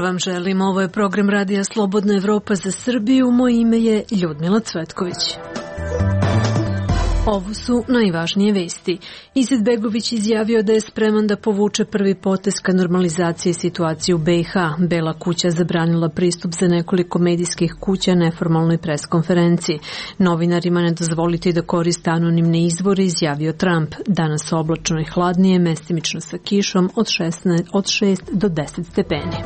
vam želim. Ovo je program Radija Slobodna Evropa za Srbiju. Moje ime je Ljudmila Cvetković. Ovo su najvažnije vesti. Izetbegović izjavio da je spreman da povuče prvi potez ka normalizaciji situacije u BiH. Bela kuća zabranila pristup za nekoliko medijskih kuća neformalnoj preskonferenciji. Novinarima ne dozvoliti da koriste anonimne izvore, izjavio Trump. Danas oblačno i hladnije, mestimično sa kišom od 6 do 10 stepeni.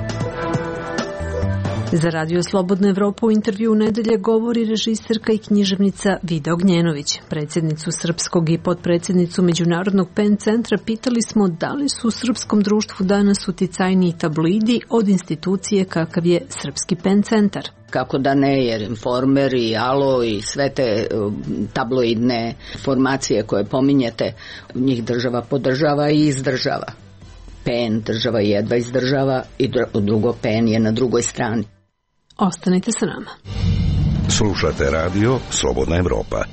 Za Radio Slobodna Evropa u intervju u nedelje govori režiserka i književnica Vida Ognjenović. Predsjednicu Srpskog i potpredsjednicu Međunarodnog PEN centra pitali smo da li su u srpskom društvu danas uticajniji tabloidi od institucije kakav je Srpski PEN centar. Kako da ne, jer Informer i Alo i sve te tabloidne formacije koje pominjete, njih država podržava i izdržava. PEN država jedva izdržava i drugo PEN je na drugoj strani. Ostanite sa nama. Slušate radio Slobodna Evropa.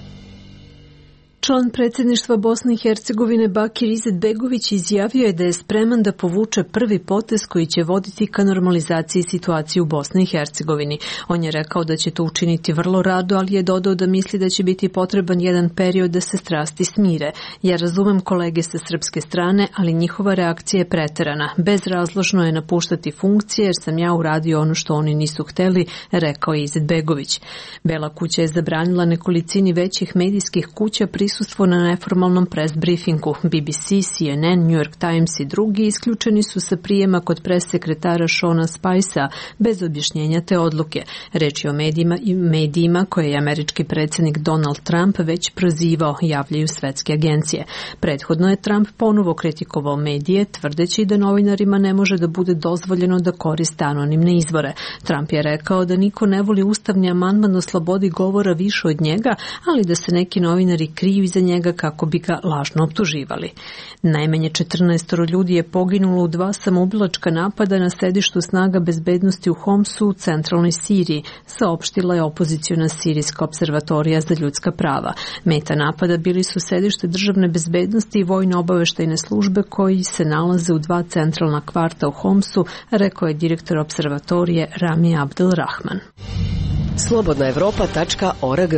Član predsjedništva Bosne i Hercegovine Bakir Izetbegović izjavio je da je spreman da povuče prvi potez koji će voditi ka normalizaciji situacije u Bosni i Hercegovini. On je rekao da će to učiniti vrlo rado, ali je dodao da misli da će biti potreban jedan period da se strasti smire. Ja razumem kolege sa srpske strane, ali njihova reakcija je preterana. Bezrazložno je napuštati funkcije jer sam ja uradio ono što oni nisu hteli, rekao je Izetbegović. Bela kuća je zabranila nekolicini većih medijskih kuća prisustvo na neformalnom press briefingu. BBC, CNN, New York Times i drugi isključeni su sa prijema kod pressekretara Shona Spicea bez objašnjenja te odluke. Reč je o medijima koje je američki predsjednik Donald Trump već prozivao, javljaju svetske agencije. Prethodno je Trump ponovo kritikovao medije, tvrdeći da novinarima ne može da bude dozvoljeno da koriste anonimne izvore. Trump je rekao da niko ne voli ustavni amandman o slobodi govora više od njega, ali da se neki novinari kriju iza njega kako bi ga lažno optuživali. Najmanje 14 ljudi je poginulo u 2 samoubilačka napada na sedištu snaga bezbednosti u Homsu u centralnoj Siriji, saopštila je opoziciona Sirijska observatorija za ljudska prava. Meta napada bili su sedište državne bezbednosti i vojno-obaveštajne službe koji se nalaze u 2 centralna kvarta u Homsu, rekao je direktor observatorije Rami Abdelrahman. slobodnaevropa.org.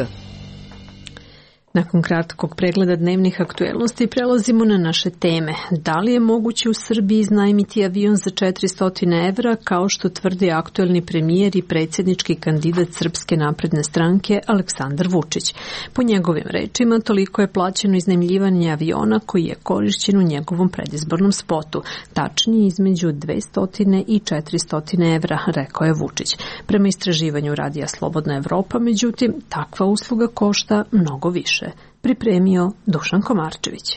Nakon kratkog pregleda dnevnih aktuelnosti prelazimo na naše teme. Da li je moguće u Srbiji iznajmiti avion za 400 evra, kao što tvrdi aktuelni premijer i predsjednički kandidat Srpske napredne stranke Aleksandar Vučić? Po njegovim rečima, toliko je plaćeno iznajmljivanje aviona koji je korišćen u njegovom predizbornom spotu. Tačnije između 200 i 400 evra, rekao je Vučić. Prema istraživanju Radija Slobodna Evropa, međutim, takva usluga košta mnogo više. Pripremio Dušan Komarčević.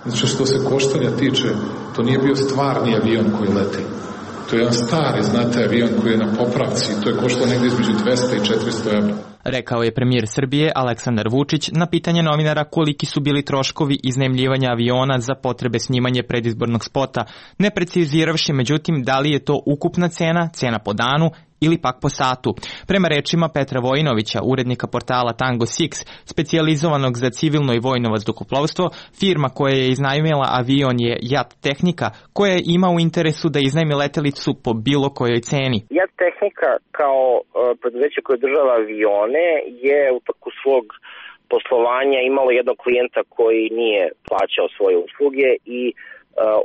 Znači što se koštanja tiče, to nije bio stvarni avion koji leti. To je jedan stari, znate, avion koji je na popravci. To je koštao negdje između 200 i 400 evra. Rekao je premijer Srbije Aleksandar Vučić na pitanje novinara koliki su bili troškovi iznajmljivanja aviona za potrebe snimanja predizbornog spota, ne preciziravši međutim da li je to ukupna cena po danu ili pak po satu. Prema rečima Petra Vojinovića, urednika portala Tango 6, specijalizovanog za civilno i vojno vazduhoplovstvo, firma koja je iznajmila avion je JAT Tehnika, koja ima u interesu da iznajmi letelicu po bilo kojoj ceni. JAT Tehnika kao preduzeće koje država avione je u toku svog poslovanja imalo jednog klijenta koji nije plaćao svoje usluge i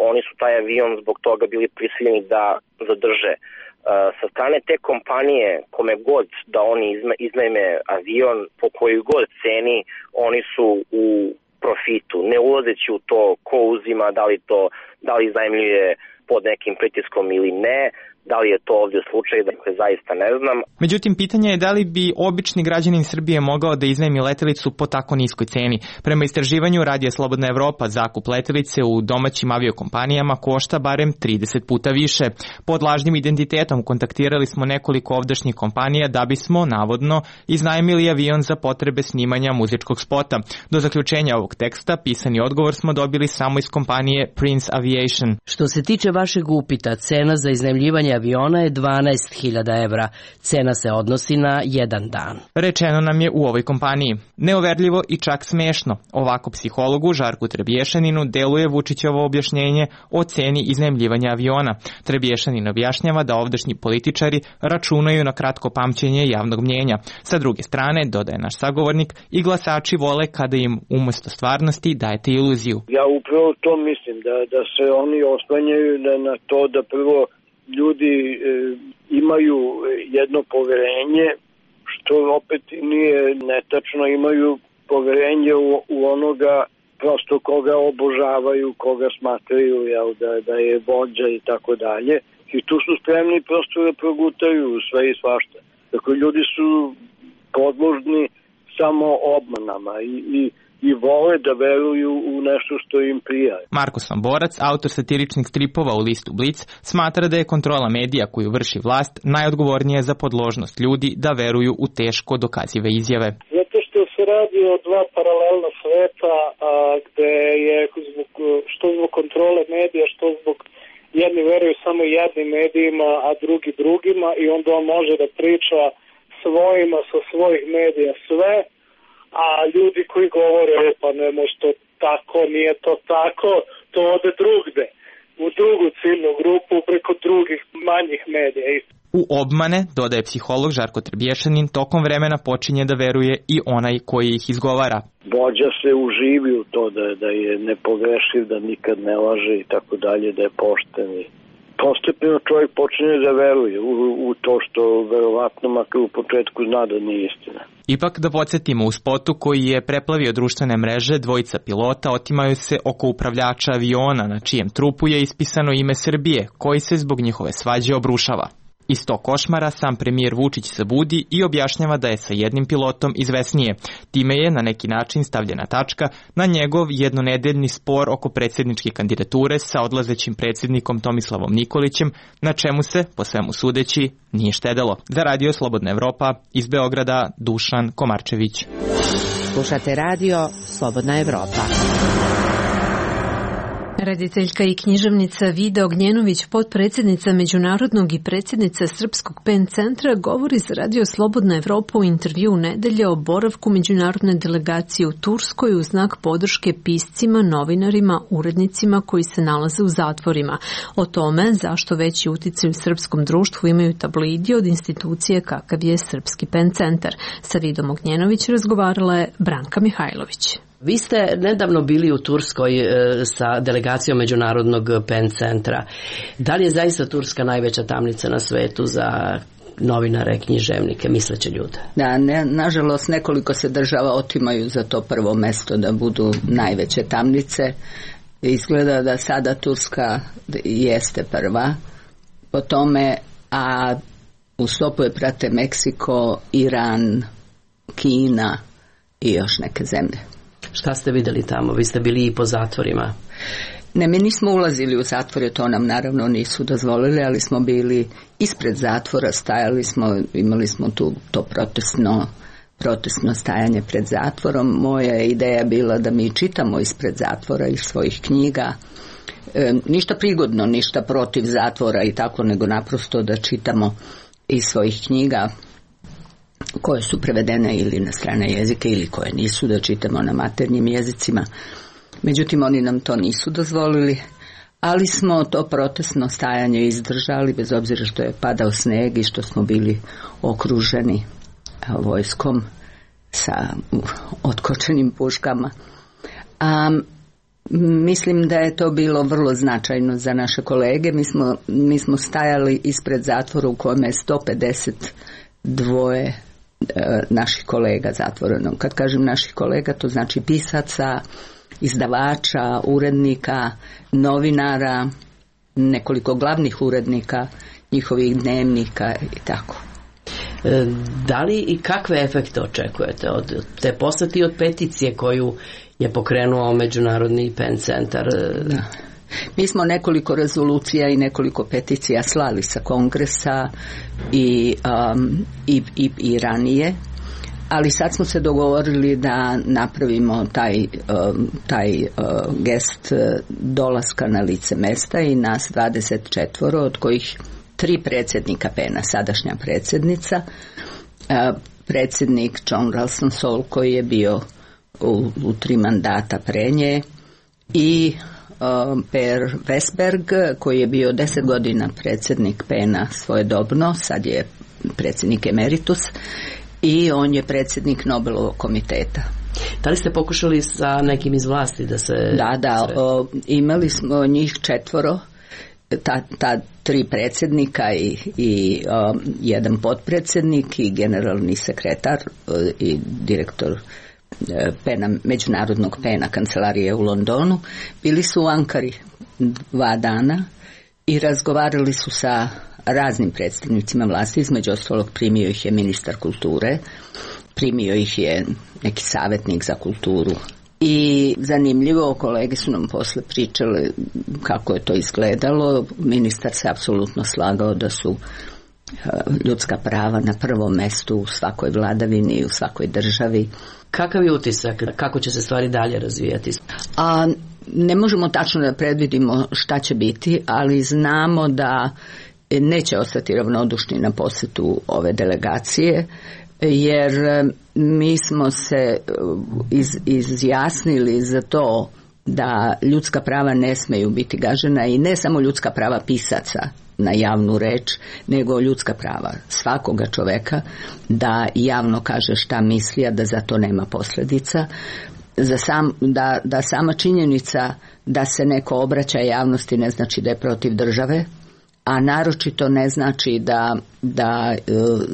oni su taj avion zbog toga bili prisiljeni da zadrže. Sa strane te kompanije, kome god da oni iznajme avion, po kojoj god ceni, oni su u profitu, ne ulazeći u to ko uzima, da li iznajmljuje pod nekim pritiskom ili ne. Da li je to ovdje slučaj, dakle zaista ne znam. Međutim, pitanje je da li bi obični građanin Srbije mogao da iznajmi letelicu po tako niskoj ceni. Prema istraživanju Radija Slobodna Evropa, zakup letelice u domaćim aviokompanijama košta barem 30 puta više. Pod lažnim identitetom kontaktirali smo nekoliko ovdašnjih kompanija da bismo, navodno, iznajmili avion za potrebe snimanja muzičkog spota. Do zaključenja ovog teksta pisani odgovor smo dobili samo iz kompanije Prince Aviation. Što se tiče vašeg upita, cena za iznajmljivanje putovanje aviona je 12.000 evra. Cena se odnosi na jedan dan. Rečeno nam je u ovoj kompaniji. Neoverljivo i čak smešno. Ovako psihologu Žarku Trebješaninu deluje Vučićevo objašnjenje o ceni iznajmljivanja aviona. Trebješanin objašnjava da ovdašnji političari računaju na kratko pamćenje javnog mnjenja. Sa druge strane, dodaje naš sagovornik, i glasači vole kada im umesto stvarnosti dajete iluziju. Ja upravo to mislim, da se oni oslanjaju na to da prvo ljudi imaju jedno poverenje, što opet nije netačno, imaju poverenje u onoga prosto koga obožavaju, koga smatraju da je vođa i tako dalje. I tu su spremni prosto da progutaju sve i svašta. Dakle, ljudi su podložni samo obmanama i vole da veruju u nešto što im prija. Marko Samborac, autor satiričnih stripova u listu Blic, smatra da je kontrola medija koju vrši vlast najodgovornija za podložnost ljudi da veruju u teško dokazive izjave. Zato što se radi o dva paralelna sveta, gde je što zbog kontrole medija, što zbog jedni veruju samo jednim medijima, a drugi drugima, i onda on može da priča svojima sa svojih medija sve, a ljudi koji govore pa ne može to tako, nije to tako, to ode drugde, u drugu ciljnu grupu preko drugih manjih medija. U obmane, dodaje psiholog Žarko Trebješanin, tokom vremena počinje da veruje i onaj koji ih izgovara. Vođa se uživi u to da je nepogrešiv, da nikad ne laže i tako dalje, da je pošten. Postepeno čovjek počinje da veruje u to što verovatno makar u početku zna da nije istina. Ipak da podsjetimo, u spotu koji je preplavio društvene mreže, dvojica pilota otimaju se oko upravljača aviona na čijem trupu je ispisano ime Srbije, koji se zbog njihove svađe obrušava. Iz tog košmara sam premijer Vučić se budi i objašnjava da je sa jednim pilotom izvesnije. Time je na neki način stavljena tačka na njegov jednonedeljni spor oko predsjedničke kandidature sa odlazećim predsjednikom Tomislavom Nikolićem, na čemu se, po svemu sudeći, nije štedelo. Za Radio Slobodna Evropa, iz Beograda, Dušan Komarčević. Slušate Radio Slobodna Evropa. Rediteljka i književnica Vida Ognjenović, potpredsjednica Međunarodnog i predsjednica Srpskog PEN centra, govori za Radio Slobodna Evropa u intervju nedelje o boravku međunarodne delegacije u Turskoj u znak podrške piscima, novinarima, urednicima koji se nalaze u zatvorima. O tome zašto veći uticaj u srpskom društvu imaju tabloidi od institucije kakav je Srpski PEN centar. Sa Vidom Ognjenović razgovarala je Branka Mihajlović. Vi ste nedavno bili u Turskoj sa delegacijom Međunarodnog PEN centra. Da li je zaista Turska najveća tamnica na svetu za novinare, književnike, misleće ljude? Da, nažalost nekoliko se država otimaju za to prvo mesto da budu najveće tamnice. Izgleda da sada Turska jeste prva po tome, a u stopu je prate Meksiko, Iran, Kina i još neke zemlje. Šta ste vidjeli tamo? Vi ste bili i po zatvorima. Ne, mi nismo ulazili u zatvore, to nam naravno nisu dozvolili, ali smo bili ispred zatvora, stajali smo, imali smo tu to protestno stajanje pred zatvorom. Moja je ideja bila da mi čitamo ispred zatvora iz svojih knjiga. Ništa prigodno, ništa protiv zatvora i tako, nego naprosto da čitamo iz svojih knjiga koje su prevedene ili na strane jezike ili koje nisu, da čitamo na maternjim jezicima. Međutim, oni nam to nisu dozvolili, ali smo to protestno stajanje izdržali, bez obzira što je padao sneg i što smo bili okruženi vojskom sa otkočenim puškama. Mislim da je to bilo vrlo značajno za naše kolege. Mi smo stajali ispred zatvora u kojem je 152 naših kolega zatvoreno. Kad kažem naših kolega, to znači pisaca, izdavača, urednika, novinara, nekoliko glavnih urednika, njihovih dnevnika i tako. Da li i kakve efekte očekujete od te posete i od peticije koju je pokrenuo Međunarodni PEN centar? Da. Mi smo nekoliko rezolucija i nekoliko peticija slali sa kongresa i ranije, ali sad smo se dogovorili da napravimo taj gest dolaska na lice mesta i nas 24, od kojih 3 predsjednika PEN-a, sadašnja predsjednica, predsjednik John Ralston Saul koji je bio u 3 mandata pre nje i Per Westberg koji je bio 10 godina predsjednik PEN-a svojedobno, sad je predsjednik emeritus i on je predsjednik Nobelovog komiteta. Da li ste pokušali sa nekim iz vlasti da se... Da, imali smo njih 4, ta 3 predsjednika i jedan potpredsjednik i generalni sekretar i direktor PEN-a, međunarodnog PEN-a kancelarije u Londonu. Bili su u Ankari 2 dana i razgovarali su sa raznim predstavnicima vlasti, između ostalog primio ih je ministar kulture, primio ih je neki savjetnik za kulturu. I zanimljivo, kolege su nam posle pričali kako je to izgledalo. Ministar se apsolutno slagao da su ljudska prava na prvom mestu u svakoj vladavini i u svakoj državi. Kakav je utisak? Kako će se stvari dalje razvijati? Ne možemo tačno da predvidimo šta će biti, ali znamo da neće ostati ravnodušni na posjetu ove delegacije, jer mi smo se izjasnili za to da ljudska prava ne smeju biti gažena i ne samo ljudska prava pisaca na javnu reč, nego ljudska prava svakoga čoveka da javno kaže šta misli, a da za to nema posljedica. Da sama činjenica da se neko obraća javnosti ne znači da je protiv države, a naročito ne znači da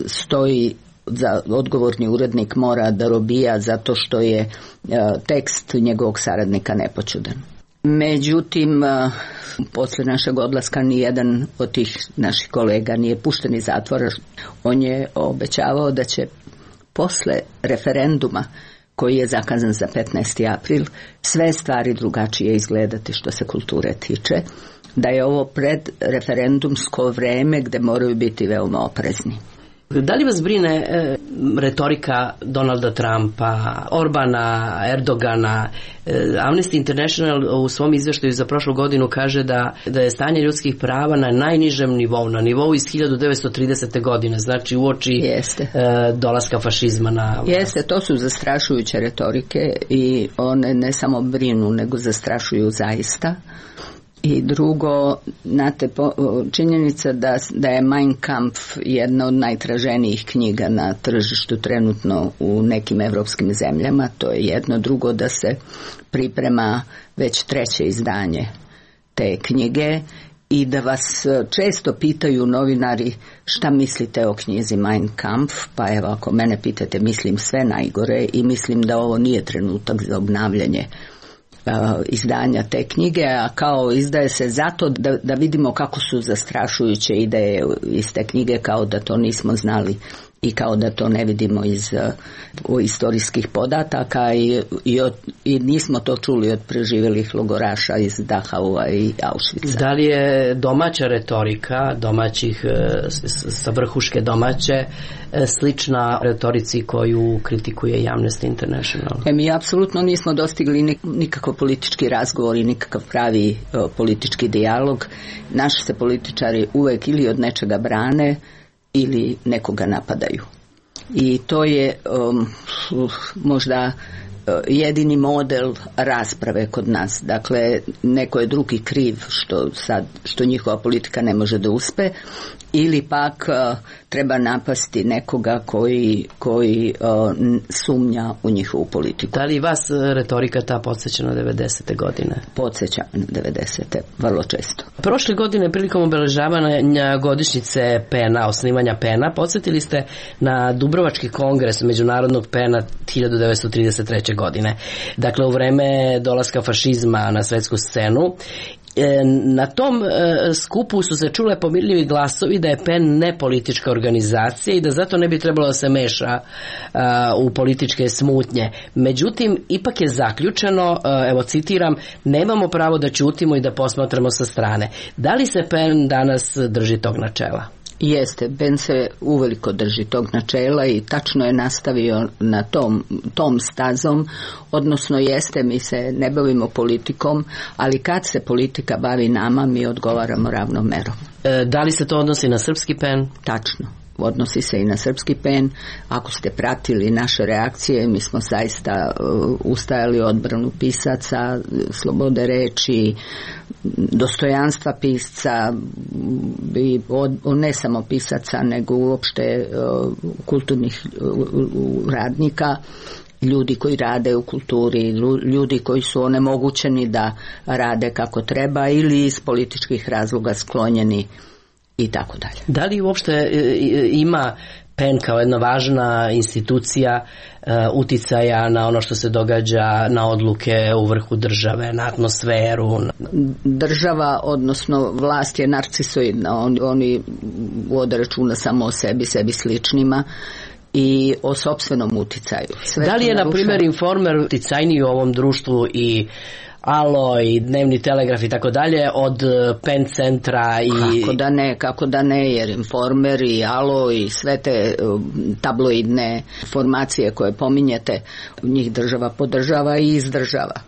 stoji za odgovorni urednik mora da robija zato što je tekst njegovog saradnika nepoćudan. Međutim, posle našeg odlaska nijedan od tih naših kolega nije pušten iz zatvora. On je obećavao da će posle referenduma koji je zakazan za 15. april sve stvari drugačije izgledati što se kulture tiče, da je ovo predreferendumsko vreme gde moraju biti veoma oprezni. Da li vas brine retorika Donalda Trumpa, Orbana, Erdogana? Amnesty International u svom izvještaju za prošlu godinu kaže da je stanje ljudskih prava na najnižem nivou, na nivou iz 1930. godine, znači uoči dolaska fašizma na vlast. Jeste, to su zastrašujuće retorike i one ne samo brinu, nego zastrašuju zaista. I drugo, znate, činjenica da je Mein Kampf jedna od najtraženijih knjiga na tržištu trenutno u nekim evropskim zemljama, to je jedno. Drugo, da se priprema već 3. izdanje te knjige i da vas često pitaju novinari šta mislite o knjizi Mein Kampf, pa evo ako mene pitate mislim sve najgore i mislim da ovo nije trenutak za obnavljanje izdanja te knjige, a kao izdaje se zato da vidimo kako su zastrašujuće ideje iz te knjige, kao da to nismo znali i kao da to ne vidimo iz istorijskih podataka i nismo to čuli od preživjelih logoraša iz Dachaua i Auschwitza. Da li je domaća retorika, domaćih sa vrhuške domaće, slična retorici koju kritikuje Amnesty International? Mi apsolutno nismo dostigli nikakav politički razgovor i nikakav pravi politički dijalog. Naši se političari uvek ili od nečega brane ili nekoga napadaju. I to je možda jedini model rasprave kod nas. Dakle, neko je drugi kriv što njihova politika ne može da uspe, ili pak treba napasti nekoga koji sumnja u njihovu politiku. Da li vas retorika ta podsjeća na 90. godine? Podsjeća na 90. vrlo često. Prošle godine prilikom obeležavanja godišnjice PEN-a, osnivanja PEN-a, podsjetili ste na Dubrovački kongres međunarodnog PEN-a 1933. godine. Dakle, u vreme dolaska fašizma na svetsku scenu. Na tom skupu su se čule pomirljivi glasovi da je PEN nepolitička organizacija i da zato ne bi trebalo da se meša u političke smutnje. Međutim, ipak je zaključeno, evo citiram, nemamo pravo da ćutimo i da posmatramo sa strane. Da li se PEN danas drži tog načela? Jeste, Ben se uveliko drži tog načela i tačno je nastavio na tom stazom, odnosno jeste, mi se ne bavimo politikom, ali kad se politika bavi nama, mi odgovaramo ravnom merom. Da li se to odnosi na srpski PEN? Tačno. Odnosi se i na srpski PEN. Ako ste pratili naše reakcije, mi smo zaista ustajali odbranu pisaca, slobode reči, dostojanstva pisca, ne samo pisaca, nego uopšte kulturnih radnika, ljudi koji rade u kulturi, ljudi koji su onemogućeni da rade kako treba ili iz političkih razloga sklonjeni i tako dalje. Da li uopšte ima PEN kao jedna važna institucija uticaja na ono što se događa, na odluke u vrhu države, na atmosferu? Država, odnosno vlast je narcisoidna, oni vode računa samo o sebi sličnima i o sopstvenom uticaju. Da li je, na primjer, Informer uticajniji u ovom društvu i Alo i Dnevni telegraf i tako dalje od PEN centra? Kako da ne, jer Informer i Alo i sve te tabloidne formacije koje pominjete, njih država podržava i izdržava.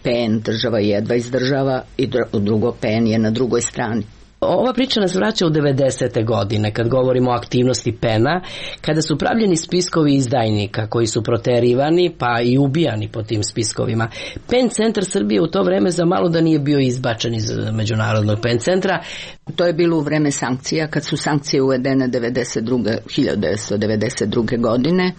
PEN država jedva izdržava i drugo PEN je na drugoj strani. Ova priča nas vraća u 90. godine, kad govorimo o aktivnosti PEN-a, kada su pravljeni spiskovi izdajnika koji su proterivani pa i ubijani po tim spiskovima. PEN centar Srbije u to vreme za malo da nije bio izbačen iz međunarodnog PEN centra. To je bilo u vreme sankcija, kad su sankcije uvedene 1992. godine.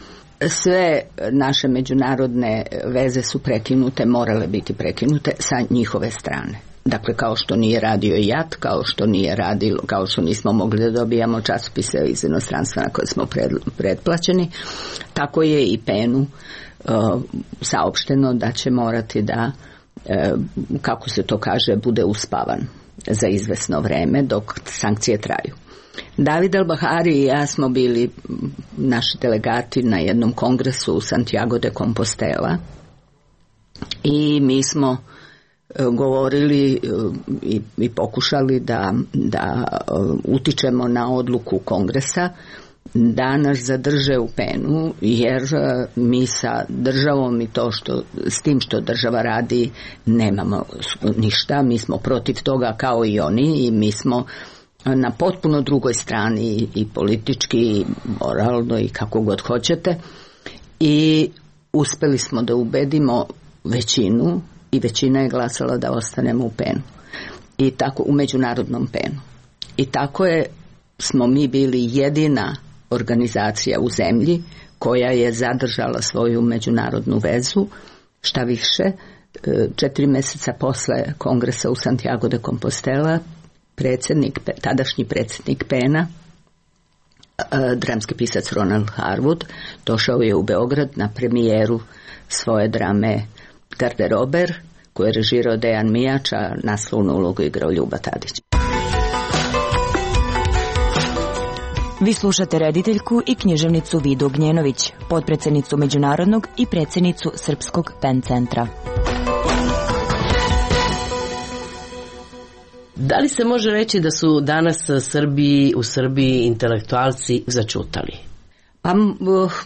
Sve naše međunarodne veze su prekinute, morale biti prekinute sa njihove strane. Dakle, kao što nije radio JAT, kao što nismo mogli da dobijamo časopise iz inostranstva na koje smo pretplaćeni, tako je i PEN-u saopšteno da će morati da, kako se to kaže, bude uspavan za izvesno vreme dok sankcije traju. David Al-Bahari i ja smo bili naši delegati na jednom kongresu u Santiago de Compostela i mi smo govorili i pokušali da utičemo na odluku kongresa da nas zadrže u PEN-u, jer mi sa državom i s tim što država radi nemamo ništa, mi smo protiv toga kao i oni i mi smo na potpuno drugoj strani i politički i moralno i kako god hoćete, i uspeli smo da ubedimo većinu i većina je glasala da ostanemo u PEN-u i tako u međunarodnom PEN-u. I tako smo mi bili jedina organizacija u zemlji koja je zadržala svoju međunarodnu vezu. Šta više, 4 mjeseca posle kongresa u Santiago de Compostela tadašnji predsjednik PEN-a, dramski pisac Ronald Harwood, došao je u Beograd na premijeru svoje drame Garderober, koju je režirao Dejan Mijač, a naslovnu ulogu igrao Ljuba Tadić. Vi slušate rediteljku i književnicu Vidu Ognjenović, potpredsjednicu Međunarodnog i predsjednicu Srpskog PEN centra. Da li se može reći da su danas u Srbiji intelektualci začutali? Pa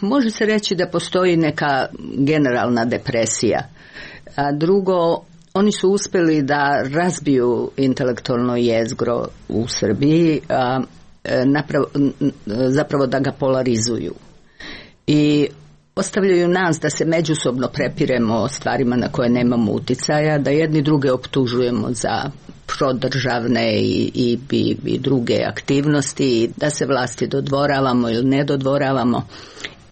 može se reći da postoji neka generalna depresija. A drugo, oni su uspjeli da razbiju intelektualno jezgro u Srbiji, zapravo da ga polarizuju. I ostavljaju nas da se međusobno prepiremo o stvarima na koje nemamo uticaja, da jedni druge optužujemo za prodržavne i druge aktivnosti, da se vlasti dodvoravamo ili ne dodvoravamo.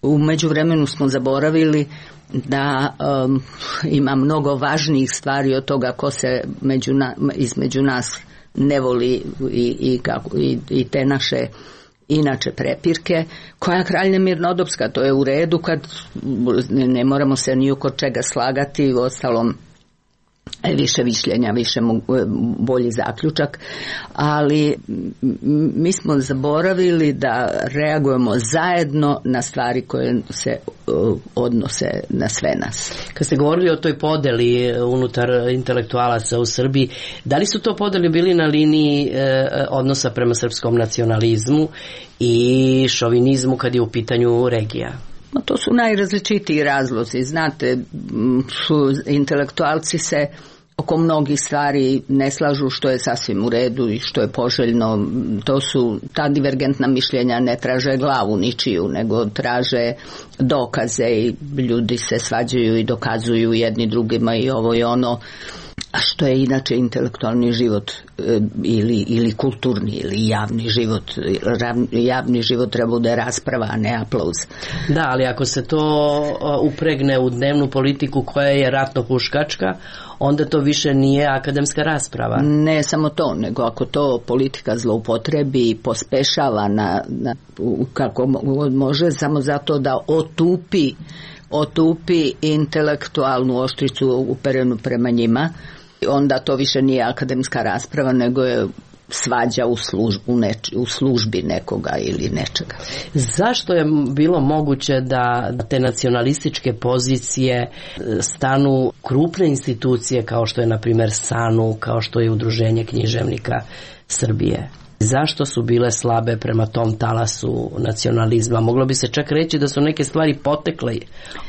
U međuvremenu smo zaboravili da ima mnogo važnijih stvari od toga ko se između nas ne voli i te naše inače prepirke. Koja kralja mirnodopska, to je u redu kad ne moramo se ni oko čega slagati, uostalom više mišljenja, više bolji zaključak, ali mi smo zaboravili da reagujemo zajedno na stvari koje se odnose na sve nas. Kad ste govorili o toj podeli unutar intelektualaca u Srbiji, da li su to podeli bili na liniji odnosa prema srpskom nacionalizmu i šovinizmu kad je u pitanju regija? To su najrazličitiji razlozi. Znate, intelektualci se oko mnogih stvari ne slažu, što je sasvim u redu i što je poželjno. Ta divergentna mišljenja ne traže glavu ničiju, nego traže dokaze i ljudi se svađaju i dokazuju jedni drugima i ovo i ono. A što je inače intelektualni život ili kulturni ili javni život? Javni život treba bude rasprava, a ne aplauz. Da, ali ako se to upregne u dnevnu politiku koja je ratno huškačka, onda to više nije akademska rasprava. Ne samo to, nego ako to politika zloupotrebi i pospešava kako može, samo zato da otupi intelektualnu oštricu uperenu prema njima, onda to više nije akademska rasprava, nego je svađa u službi nekoga ili nečega. Zašto je bilo moguće da te nacionalističke pozicije stanu krupne institucije kao što je na primjer SANU, kao što je Udruženje književnika Srbije? Zašto su bile slabe prema tom talasu nacionalizma? Moglo bi se čak reći da su neke stvari potekle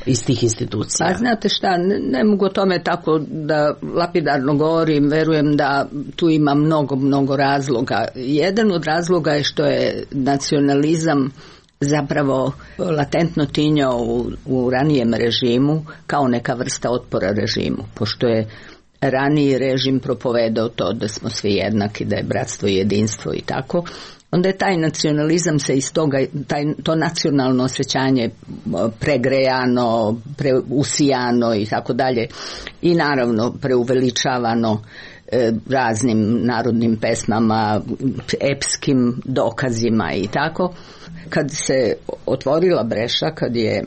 iz tih institucija. Pa znate šta, ne mogu o tome tako da lapidarno govorim, verujem da tu ima mnogo razloga. Jedan od razloga je što je nacionalizam zapravo latentno tinjao u ranijem režimu kao neka vrsta otpora režimu, pošto je raniji režim propovedao to da smo svi jednaki, da je bratstvo i jedinstvo i tako, onda je taj nacionalizam se iz toga, to nacionalno osjećanje pregrejano, preusijano i tako dalje i naravno preuveličavano raznim narodnim pesmama, epskim dokazima i tako. Kad se otvorila breša, kad je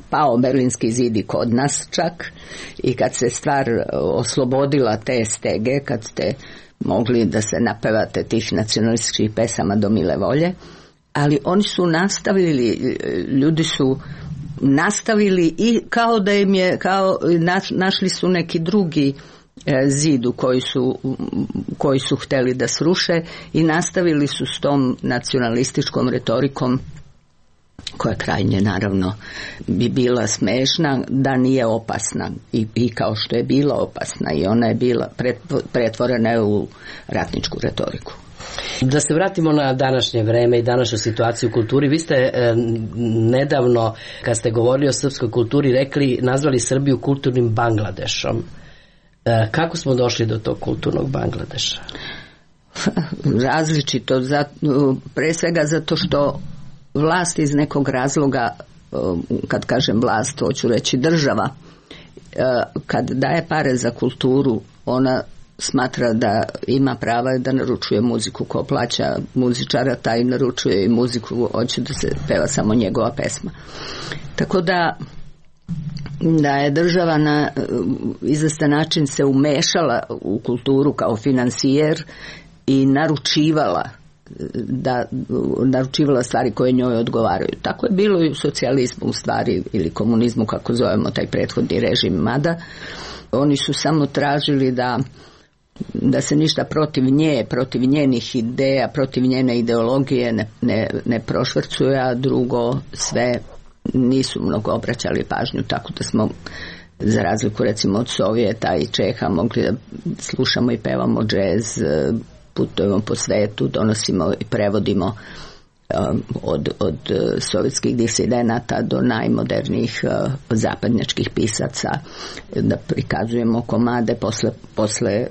pao Berlinski zid i kod nas čak i kad se stvar oslobodila te stege, kad ste mogli da se napevate tih nacionalističkih pesama do mile volje, ali oni su nastavili, ljudi su nastavili i kao da im je, našli su neki drugi zidu koji su hteli da sruše i nastavili su s tom nacionalističkom retorikom koja krajnje naravno bi bila smešna da nije opasna i kao što je bila opasna i ona je bila pretvorena u ratničku retoriku. Da se vratimo na današnje vreme i današnju situaciju u kulturi. Vi ste nedavno, kad ste govorili o srpskoj kulturi, nazvali Srbiju kulturnim Bangladešom. Kako smo došli do tog kulturnog Bangladeša? Različito, pre svega zato što vlast iz nekog razloga, kad kažem vlast, hoću reći država, kad daje pare za kulturu, ona smatra da ima prava da naručuje muziku, ko plaća muzičara, taj naručuje i muziku, hoće da se peva samo njegova pesma. Tako da je država na izvestan način se umešala u kulturu kao finansijer i naručivala stvari koje njoj odgovaraju. Tako je bilo i u socijalizmu u stvari, ili komunizmu kako zovemo taj prethodni režim, mada oni su samo tražili da se ništa protiv nje, protiv njenih ideja, protiv njene ideologije ne prošvrcuje, a drugo sve nisu mnogo obraćali pažnju, tako da smo za razliku recimo od Sovjeta i Čeha mogli da slušamo i pevamo džez, putujemo po svetu, donosimo i prevodimo od sovjetskih disidenata do najmodernijih zapadnjačkih pisaca, da prikazujemo komade posle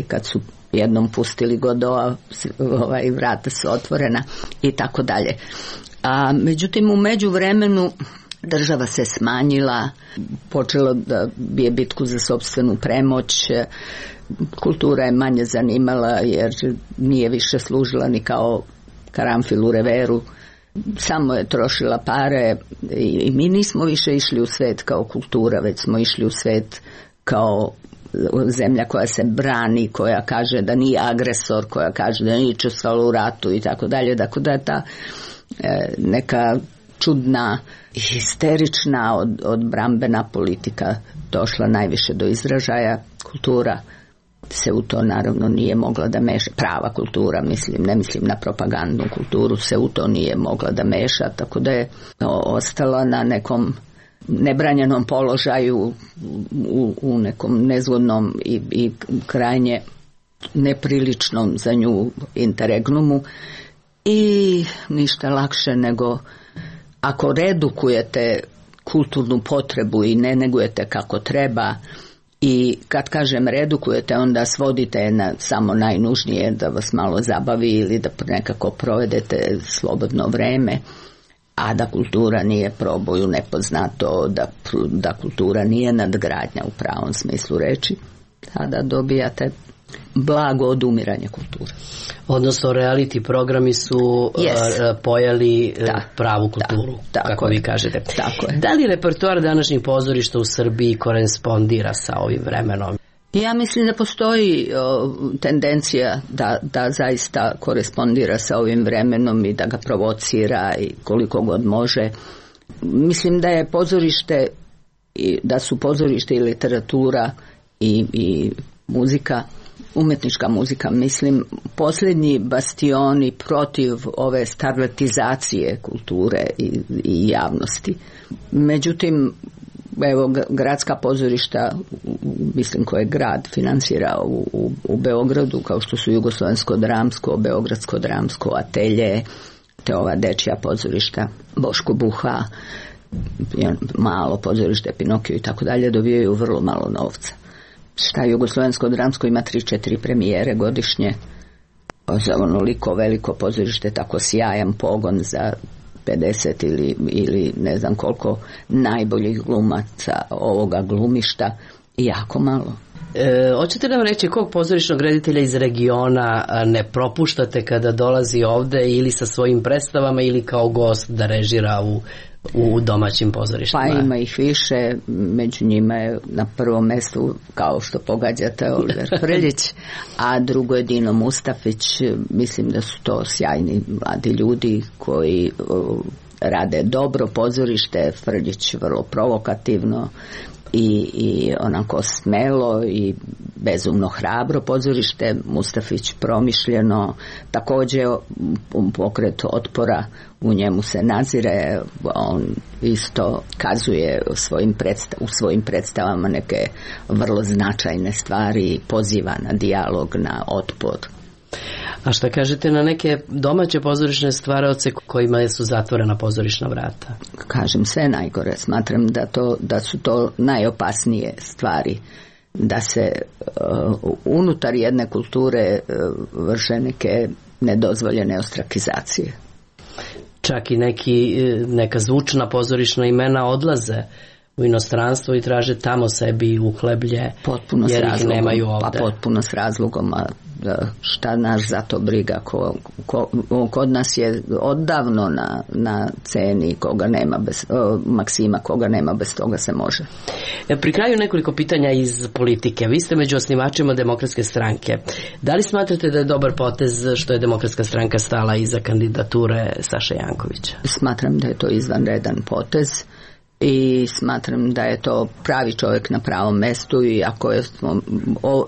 kad su jednom pustili Godoa, vrata su otvorena i tako dalje. A međutim u međuvremenu država se smanjila, počelo da bije bitku za sopstvenu premoć, kultura je manje zanimala jer nije više služila ni kao karanfil u reveru, samo je trošila pare i mi nismo više išli u svet kao kultura, već smo išli u svet kao zemlja koja se brani, koja kaže da nije agresor, koja kaže da nije učestvovala u ratu i tako dalje. Dakle, da je ta neka čudna, histerična, odbrambena politika došla najviše do izražaja. Kultura se u to naravno nije mogla da meša, prava kultura, ne mislim na propagandnu kulturu, se u to nije mogla da meša, tako da je ostala na nekom nebranjenom položaju, u nekom nezgodnom i krajnje nepriličnom za nju interregnumu, i ništa lakše nego ako redukujete kulturnu potrebu i ne negujete kako treba, i kad kažem redukujete, onda svodite na samo najnužnije, da vas malo zabavi ili da nekako provedete slobodno vreme, a da kultura nije proboj u nepoznato, da kultura nije nadgradnja u pravom smislu reči, tada dobijate blago odumiranje kulture. Odnosno, reality programi su pojeli pravu kulturu, kako vi kažete. Tako je. Da li repertoar današnjih pozorišta u Srbiji korespondira sa ovim vremenom? Ja mislim da postoji tendencija da zaista korespondira sa ovim vremenom i da ga provocira i koliko god može. Mislim da je pozorište, da su pozorište i literatura i muzika, umetnička muzika, mislim, posljednji bastioni protiv ove starletizacije kulture i javnosti. Međutim, evo, gradska pozorišta, mislim, koje grad finansira u Beogradu, kao što su Jugoslovensko dramsko, Beogradsko dramsko, Atelje, te ova dečja pozorišta, Boško Buha, malo pozorište, Pinokio i tako dalje, dobijaju vrlo malo novca. Šta Jugoslovensko dramsko ima 3-4 premijere godišnje, za onoliko veliko pozorište, tako sjajan pogon za 50 ili ne znam koliko najboljih glumaca ovoga glumišta, jako malo. Hoćete nam reći kog pozorišnog reditelja iz regiona ne propuštate kada dolazi ovde, ili sa svojim predstavama ili kao gost da režira u domaćim pozorištima? Pa ima ih više, među njima je na prvom mjestu, kao što pogađate, Oliver Frljić, a drugo je Dino Mustafić. Mislim da su to sjajni mladi ljudi koji rade dobro pozorište. Frljić vrlo provokativno i onako smelo i bezumno hrabro pozorište, Mustafić promišljeno, također pokret otpora, u njemu se nazire, on isto kazuje u svojim predstavama neke vrlo značajne stvari, poziva na dijalog, na otpor. A šta kažete na neke domaće pozorišne stvaraoce kojima su zatvorena pozorišna vrata? Kažem, sve najgore. Smatram da su to najopasnije stvari, da se unutar jedne kulture vrše neke nedozvoljene ostrakizacije. Čak i neka zvučna pozorišna imena odlaze u inostranstvo i traže tamo sebi uhleblje, potpuno jer ih nemaju ovde. Pa potpuno s razlogom, a šta naš za to briga, kod nas je odavno na ceni koga nema maksima, koga nema, bez toga se može. Pri kraju nekoliko pitanja iz politike. Vi ste među osnivačima Demokratske stranke. Da li smatrate da je dobar potez što je Demokratska stranka stala iza kandidature Saše Jankovića? Smatram da je to izvanredan potez i smatram da je to pravi čovjek na pravom mestu, i ako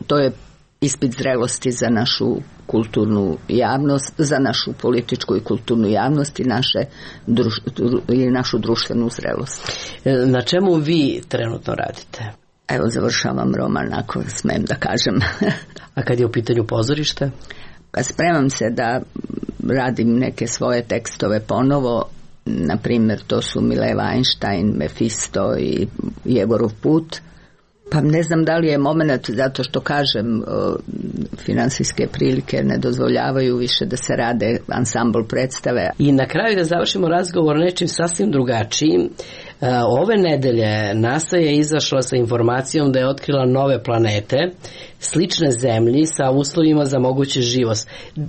to je ispit zrelosti za našu kulturnu javnost, za našu političku i kulturnu javnost i našu društvenu zrelost. Na čemu vi trenutno radite? Evo, završavam roman, ako smem da kažem. A kad je u pitanju pozorište? Spremam se da radim neke svoje tekstove ponovo. Na primjer, to su Mileva Einstein, Mefisto i Jegorov put. Pa ne znam da li je moment, zato što kažem, finansijske prilike ne dozvoljavaju više da se rade ansambl predstave. I na kraju da završimo razgovor nečim sasvim drugačijim. Ove nedelje NASA je izašla sa informacijom da je otkrila nove planete, slične zemlji sa uslovima za mogući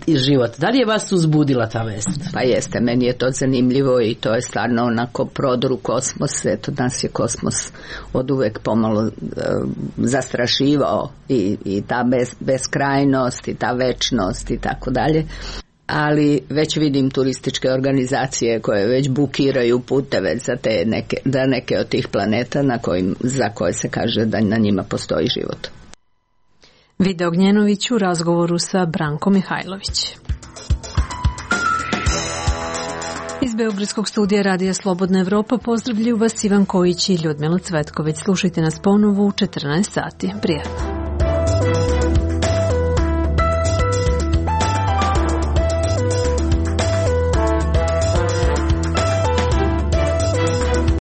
život. Da li je vas uzbudila ta vest? Pa jeste, meni je to zanimljivo i to je stvarno onako prodor u kosmos. Eto, nas je kosmos od uvek pomalo zastrašivao i ta beskrajnost i ta večnost i tako dalje. Ali već vidim turističke organizacije koje već bukiraju puteve za neke od tih planeta za koje se kaže da na njima postoji život. Vida Ognjenović u razgovoru sa Brankom Mihajlović. Iz Beogradskog studija Radija Slobodna Evropa pozdravljaju vas Ivan Kojić i Ljudmila Cvetković. Slušajte nas ponovo u 14 sati. Prijatno.